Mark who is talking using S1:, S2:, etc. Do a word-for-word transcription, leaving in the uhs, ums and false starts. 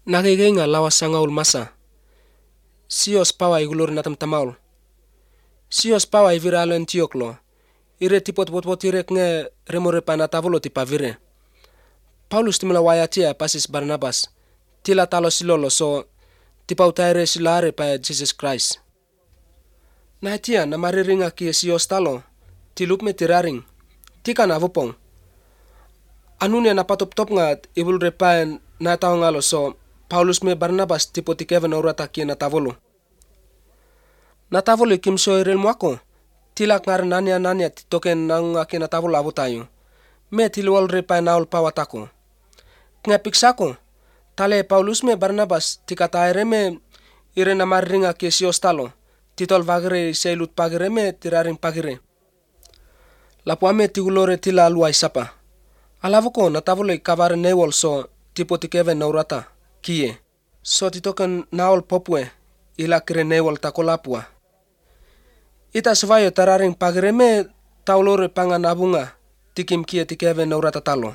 S1: Nakikinga lawas sangaul masa. Sios pawa igulur natam tamaul. Sios pawa iviralo Antioklo. Ire tipot potpot irek nge remore panatavulo tipa vire. Paulus timula wayatia pasis Barnabas. Tila talo silolo so tipa utaire silare pa Jesus Christ. Nahatia na mariringa ki sios talo. Tilup me tiraring. Tika na vupong. Anunia na patop-top nga ibulre pa na tao ngalo so Paulus me Barnabas tipo tikeve na urata ki na tavolo. Na tavolo kimso irel mwako. Tilak ngar nanya nanya titoken nang aki na tavolo avu tayo. Me tiluol re pa naol pawatako. Nga piksako. Tale Paulus me Barnabas tikata ere me ire na mariringa ki sios talo. Titol vagire seilut pagire me tiraring pagire. Lapu ame tigulore tila aluai sapa. Alavuko na tavolo ikavare newol so tipo tikeve na urata kie. So titoken naol popwe ila kire newol takolapua. Ita svayo tararing pagire me taulore pangan abunga tikim kie tikeve na urata talo.